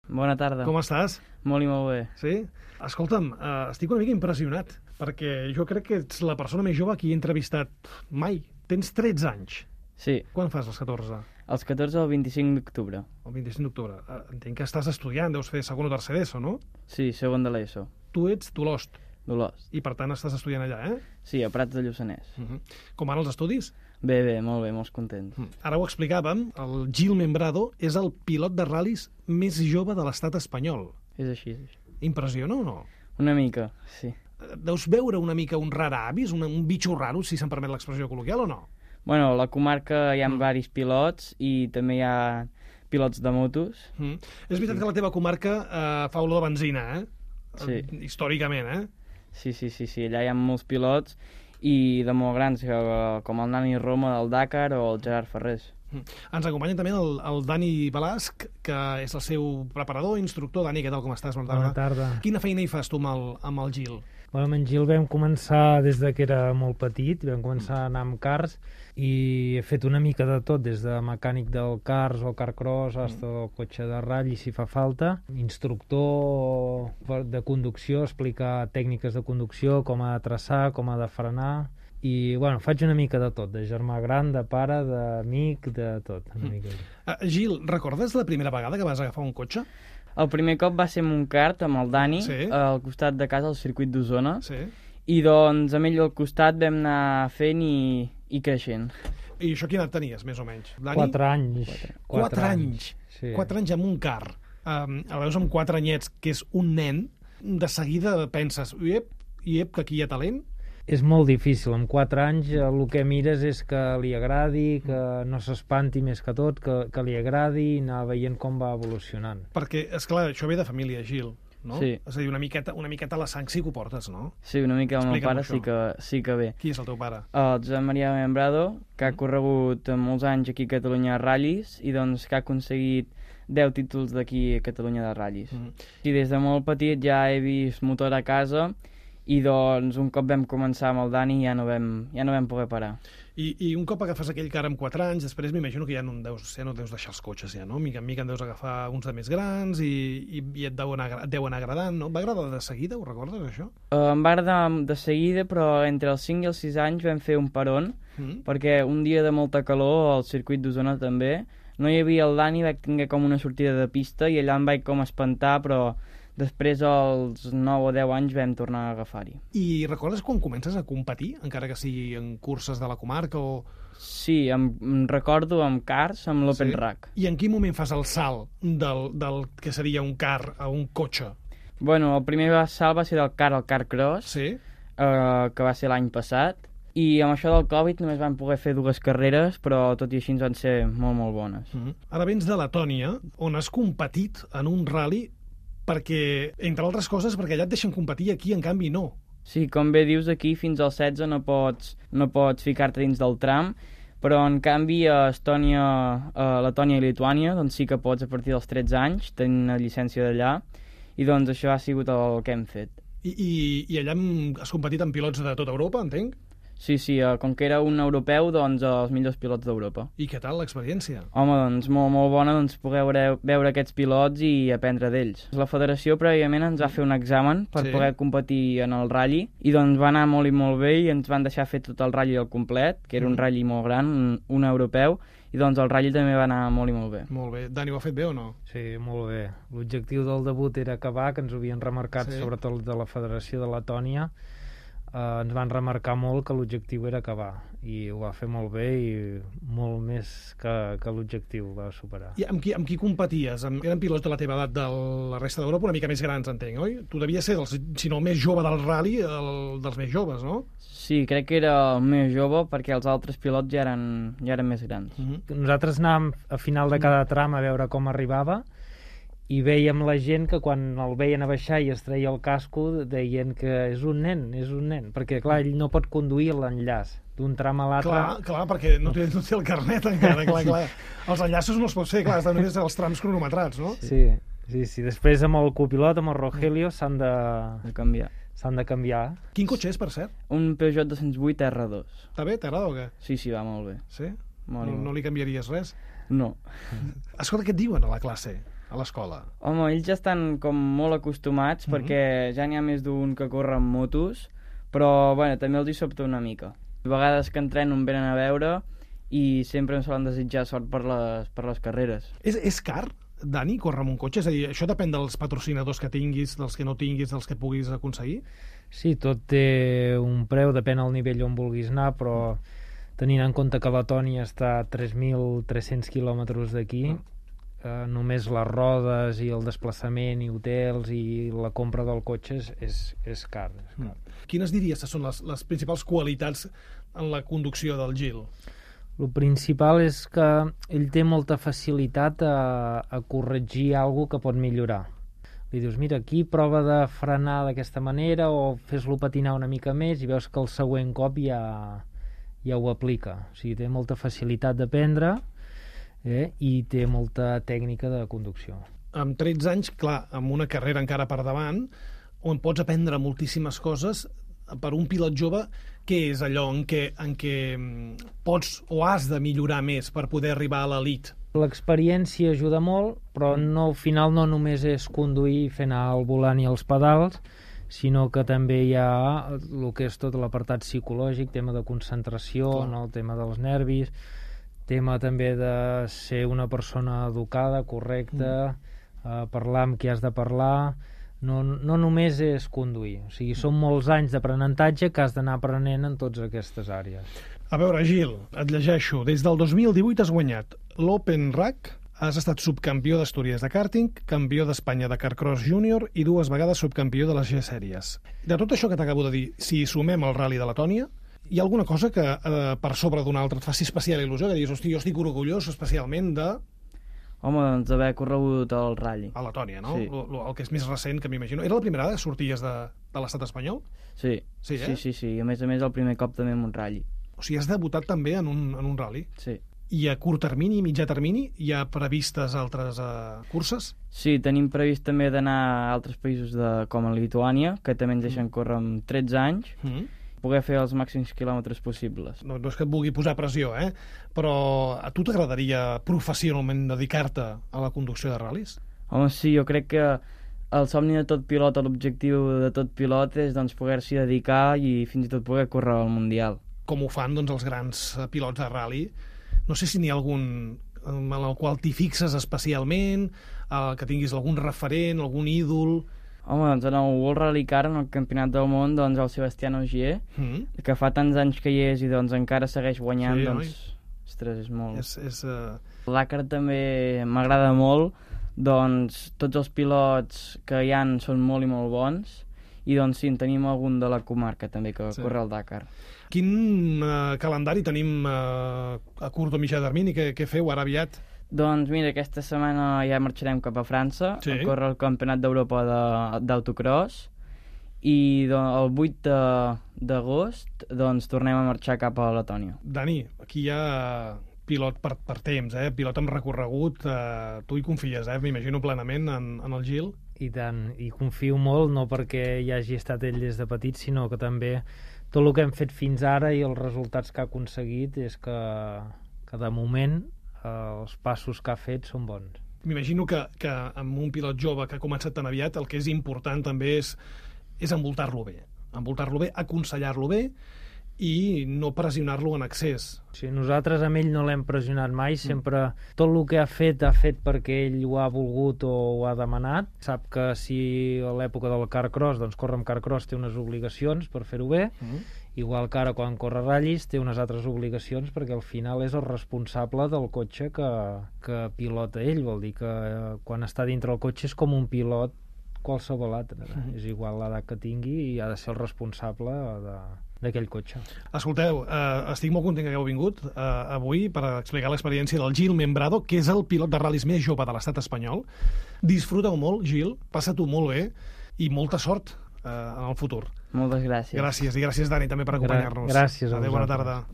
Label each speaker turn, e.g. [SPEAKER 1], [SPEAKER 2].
[SPEAKER 1] Bona tarda.
[SPEAKER 2] Com estàs?
[SPEAKER 1] Molt i molt bé.
[SPEAKER 2] Sí? Escolta'm, estic una mica impressionat, perquè jo crec que ets la persona més jove que he entrevistat mai. Tens 13 anys.
[SPEAKER 1] Sí,
[SPEAKER 2] Quan fas els 14?
[SPEAKER 1] els 14 al 25 d'octubre.
[SPEAKER 2] El 25 d'octubre. Entenc que estàs estudiant, deus fer segon o tercer d'ESO, no?
[SPEAKER 1] Sí, segon de l'ESO.
[SPEAKER 2] Tu ets d'Olost
[SPEAKER 1] Dolors.
[SPEAKER 2] i, per tant, estàs estudiant allà, eh?
[SPEAKER 1] Sí, a Prats de Lluçanès.
[SPEAKER 2] Com van els estudis?
[SPEAKER 1] Bé, molt bé, molts contents.
[SPEAKER 2] Ara ho explicàvem, el Gil Membrado és el pilot de ral·lis més jove de l'estat espanyol.
[SPEAKER 1] És així, és així.
[SPEAKER 2] Impressiona o no?
[SPEAKER 1] Una mica, sí.
[SPEAKER 2] Deus veure una mica un raravis, un bitxo raro, si se'm permet l'expressió col·loquial, o no?
[SPEAKER 1] Bueno, a la comarca hi ha varis pilots i també hi ha pilots de motos.
[SPEAKER 2] És veritat que la teva comarca fa olor de benzina, eh?
[SPEAKER 1] Sí.
[SPEAKER 2] Històricament, eh?
[SPEAKER 1] Sí, allà hi ha molts pilots i de molt grans, com el Nani Roma del Dakar o el Gerard Ferrés.
[SPEAKER 2] Ens acompanya també el Dani Balasc, que és el seu preparador, instructor. Dani, què tal, com estàs?
[SPEAKER 3] Bona tarda.
[SPEAKER 2] Quina feina hi fas tu amb el Gil?
[SPEAKER 3] Bueno, amb en Gil vam començar des de que era molt petit, vam començar a anar amb cars i he fet una mica de tot, des de mecànic del cars o carcross fins al cotxe de ratll, si fa falta, instructor de conducció, explicar tècniques de conducció, com ha de traçar, com ha de frenar, i bueno, faig una mica de tot, de germà gran, de pare, d'amic, de tot. Una mica.
[SPEAKER 2] Gil, recordes la primera vegada que vas agafar un cotxe?
[SPEAKER 1] El primer cop va ser amb un kart, amb el Dani,
[SPEAKER 2] Sí.
[SPEAKER 1] al costat de casa, al circuit d'Osona,
[SPEAKER 2] Sí.
[SPEAKER 1] i doncs amb ell al costat vam anar fent i creixent.
[SPEAKER 2] I això quina edat tenies, més o menys? Dani?
[SPEAKER 3] 4 anys.
[SPEAKER 2] 4 anys.
[SPEAKER 3] Sí.
[SPEAKER 2] 4 anys amb un car. El veus amb 4 anyets, que és un nen, de seguida penses, iep, que aquí hi ha talent.
[SPEAKER 3] És molt difícil, amb 4 anys el que mires és que li agradi, que no s'espanti més que tot, que li agradi i anar veient com va evolucionant.
[SPEAKER 2] Perquè, és clar, això ve de família, Gil, no?
[SPEAKER 1] Sí.
[SPEAKER 2] És a dir, una miqueta a la sang sí que ho portes, no?
[SPEAKER 1] Sí, una mica el meu
[SPEAKER 2] Explica'm
[SPEAKER 1] pare
[SPEAKER 2] això.
[SPEAKER 1] sí que ve.
[SPEAKER 2] Qui és el teu pare?
[SPEAKER 1] El Josep Maria Membrado, que ha corregut molts anys aquí a Catalunya a ratllis i doncs que ha aconseguit 10 títols d'aquí a Catalunya de ratllis. I des de molt petit ja he vist motor a casa i doncs un cop vam començar amb el Dani ja no vam poder parar.
[SPEAKER 2] I un cop agafes aquell car amb 4 anys, després m'imagino que ja no deus deixar els cotxes, ja, no? Mica en mica en deus agafar uns de més grans i et deuen agradant, no? Va agradar de seguida, ho recordes, això?
[SPEAKER 1] Em va agradar de seguida, però entre els 5 i els 6 anys vam fer un peron, perquè un dia de molta calor, al circuit d'Osona també, no hi havia el Dani, vaig tenir com una sortida de pista i allà em vaig com espantar, però després, als 9 o 10 anys, vam tornar a agafar-hi.
[SPEAKER 2] I recordes quan comences a competir, encara que sigui en curses de la comarca o...
[SPEAKER 1] Sí, em recordo amb cars, amb l'Open Rack.
[SPEAKER 2] I en quin moment fas el salt del que seria un car a un cotxe?
[SPEAKER 1] Bueno, el primer salt va ser del car al car cross,
[SPEAKER 2] Sí?
[SPEAKER 1] que va ser l'any passat, i amb això del Covid només vam poder fer 2 carreres, però tot i així ens van ser molt bones.
[SPEAKER 2] Ara vens de Letònia, on has competit en un rally perquè, entre altres coses, perquè allà et deixen competir i aquí, en canvi, no.
[SPEAKER 1] Sí, com bé dius, aquí fins als 16 no pots ficar-te dins del tram, però en canvi a Estònia, a Letònia i Lituània doncs sí que pots a partir dels 13 anys, tenint una llicència d'allà, i doncs això ha sigut el que hem fet.
[SPEAKER 2] I allà has competit amb pilots de tota Europa, entenc?
[SPEAKER 1] Sí, com que era un europeu, doncs els millors pilots d'Europa.
[SPEAKER 2] I què tal l'experiència?
[SPEAKER 1] Home, doncs molt bona poder veure aquests pilots i aprendre d'ells. La federació prèviament ens va fer un examen per poder competir en el ratll i doncs va anar molt i molt bé i ens van deixar fer tot el ratll al complet, que era un ratll molt gran, un europeu, i doncs el ratll també va anar molt i molt bé.
[SPEAKER 2] Molt bé. Dani, ho ha fet bé o no?
[SPEAKER 3] Sí, molt bé. L'objectiu del debut era acabar, que ens ho havien remarcat, sobretot de la Federació de Letònia. Ens van remarcar molt que l'objectiu era acabar i ho va fer molt bé i molt més que l'objectiu va superar.
[SPEAKER 2] I amb qui competies? Eren pilots de la teva edat de la resta d'Europa, una mica més grans, entenc, oi? Tu devies ser, si no el més jove del rally, dels més joves, no?
[SPEAKER 1] Sí, crec que era el més jove perquè els altres pilots ja eren més grans.
[SPEAKER 3] Nosaltres anàvem a final de cada tram a veure com arribava i veiem la gent que quan el veien a baixar i es treia el casco deien que és un nen, perquè clar, ell no pot conduir l'enllaç d'un tram a l'altre.
[SPEAKER 2] Clar, perquè no té el carnet encara, clar. Els enllaços no els pots fer, clar, estan només els trams cronometrats, no?
[SPEAKER 3] Sí. Després amb el copilot, amb el Rogelio, s'han de canviar.
[SPEAKER 2] Quin cotxe és, per cert?
[SPEAKER 1] Un Peugeot 208 R2.
[SPEAKER 2] Està bé? T'agrada o què?
[SPEAKER 1] Sí, va molt bé.
[SPEAKER 2] Sí?
[SPEAKER 1] Molt
[SPEAKER 2] No li canviaries res?
[SPEAKER 1] No.
[SPEAKER 2] Escolta, què et diuen a la classe? a l'escola?
[SPEAKER 1] Home, ells ja estan com molt acostumats perquè ja n'hi ha més d'un que corre amb motos, però bueno, també els hi sobta una mica. A vegades que entreno em venen a veure i sempre em solen desitjar sort per les carreres.
[SPEAKER 2] És car, Dani, córrer amb un cotxe? És a dir, això depèn dels patrocinadors que tinguis, dels que no tinguis, dels que puguis aconseguir?
[SPEAKER 3] Sí, tot té un preu, depèn del nivell on vulguis anar, però tenint en compte que Letònia està a 3.300 quilòmetres d'aquí, només les rodes i el desplaçament i hotels i la compra del cotxe és car.
[SPEAKER 2] Quines diries que són les principals qualitats en la conducció del Gil?
[SPEAKER 3] El principal és que ell té molta facilitat a corregir alguna que pot millorar. Li dius, mira, aquí prova de frenar d'aquesta manera o fes-lo patinar una mica més i veus que el següent cop ja ho aplica. O sigui, té molta facilitat d'aprendre i té molta tècnica de conducció.
[SPEAKER 2] Amb 13 anys, clar, amb una carrera encara per davant, on pots aprendre moltíssimes coses, per un pilot jove, què és allò en què pots o has de millorar més per poder arribar a l'elit?
[SPEAKER 3] L'experiència ajuda molt, però al final no només és conduir i fer anar el volant i els pedals, sinó que també hi ha el que és tot l'apartat psicològic, tema de concentració, no? El tema dels nervis, tema també de ser una persona educada, correcta, parlar amb qui has de parlar. No només és conduir, o sigui, són molts anys d'aprenentatge que has d'anar aprenent en totes aquestes àrees.
[SPEAKER 2] A veure, Gil, et llegeixo. Des del 2018 has guanyat l'Open RAC, has estat subcampió d'Astúries de kàrting, campió d'Espanya de Carcross Júnior i 2 vegades subcampió de les G-Sèries. De tot això que t'acabo de dir, si sumem el Rally de Letònia, hi ha alguna cosa que per sobre d'una altra et faci especial il·lusió, que diguis, hosti, jo estic orgullós especialment de...
[SPEAKER 1] Home, doncs d'haver corregut el Rally.
[SPEAKER 2] A Letònia, no?
[SPEAKER 1] Sí.
[SPEAKER 2] El que és més recent, que m'imagino. Era la primera vegada que sorties de l'estat espanyol?
[SPEAKER 1] Sí.
[SPEAKER 2] Sí,
[SPEAKER 1] Sí. I a més el primer cop també en un Rally.
[SPEAKER 2] O sigui, has debutat també en un rally?
[SPEAKER 1] Sí.
[SPEAKER 2] I a curt termini i mitjà termini hi ha previstes altres curses?
[SPEAKER 1] Sí, tenim previst també d'anar a altres països com a Lituània, que també ens deixen córrer amb 13 anys, poder fer els màxims quilòmetres possibles.
[SPEAKER 2] No és que et vulgui posar pressió, però a tu t'agradaria professionalment dedicar-te a la conducció de ral·lis?
[SPEAKER 1] Home, sí, jo crec que el somni de tot pilot, l'objectiu de tot pilot és doncs, poder-s'hi dedicar i fins i tot poder córrer al Mundial.
[SPEAKER 2] Com ho fan doncs, els grans pilots de ral·li? No sé si n'hi ha algun en el qual t'hi fixes especialment, que tinguis algun referent, algun ídol...
[SPEAKER 1] Home, doncs en el World Rally Car, en el Campionat del Món, doncs el Sebastián Ogier, que fa tants anys que hi és i doncs encara segueix guanyant,
[SPEAKER 2] sí,
[SPEAKER 1] doncs... Ostres, és molt...
[SPEAKER 2] El
[SPEAKER 1] Dakar també m'agrada molt, doncs tots els pilots que hi han són molt i molt bons, i doncs sí, en tenim algun de la comarca també que corre el Dakar.
[SPEAKER 2] Quin calendari tenim a curt o mitjà termini? Què feu ara aviat?
[SPEAKER 1] Doncs mira, aquesta setmana ja marxarem cap a França a córrer el Campionat d'Europa d'autocross i el 8 d'agost doncs tornem a marxar cap a Letònia.
[SPEAKER 2] Dani, aquí hi ha pilot per temps, pilot amb recorregut, tu hi confies, m'imagino plenament en el Gil?
[SPEAKER 3] I tant, i confio molt, no perquè hi hagi estat ell des de petit, sinó que també tot el que hem fet fins ara i els resultats que ha aconseguit és que de moment els passos que ha fet són bons.
[SPEAKER 2] M'imagino que amb un pilot jove que ha començat tan aviat el que és important també és envoltar-lo bé, aconsellar-lo bé i no pressionar-lo en excés.
[SPEAKER 3] Sí, nosaltres amb ell no l'hem pressionat mai, sempre tot el que ha fet perquè ell ho ha volgut o ho ha demanat. Sap que si a l'època del Carcross, doncs córrer amb Carcross té unes obligacions per fer-ho bé, igual que ara quan corre ratllis té unes altres obligacions perquè al final és el responsable del cotxe que pilota ell, vol dir que quan està dintre el cotxe és com un pilot qualsevol altre, és igual l'edat que tingui i ha de ser el responsable d'aquell cotxe.
[SPEAKER 2] Escolteu, estic molt content que hagueu vingut avui per explicar l'experiència del Gil Membrado, que és el pilot de ral·lis més jove de l'estat espanyol. Disfruta-ho molt, Gil, passa-t'ho molt bé i molta sort en el futur.
[SPEAKER 1] Moltes gràcies.
[SPEAKER 2] Gràcies, i gràcies, Dani, també per acompanyar-nos.
[SPEAKER 3] Gràcies a
[SPEAKER 2] Adéu, bona tarda.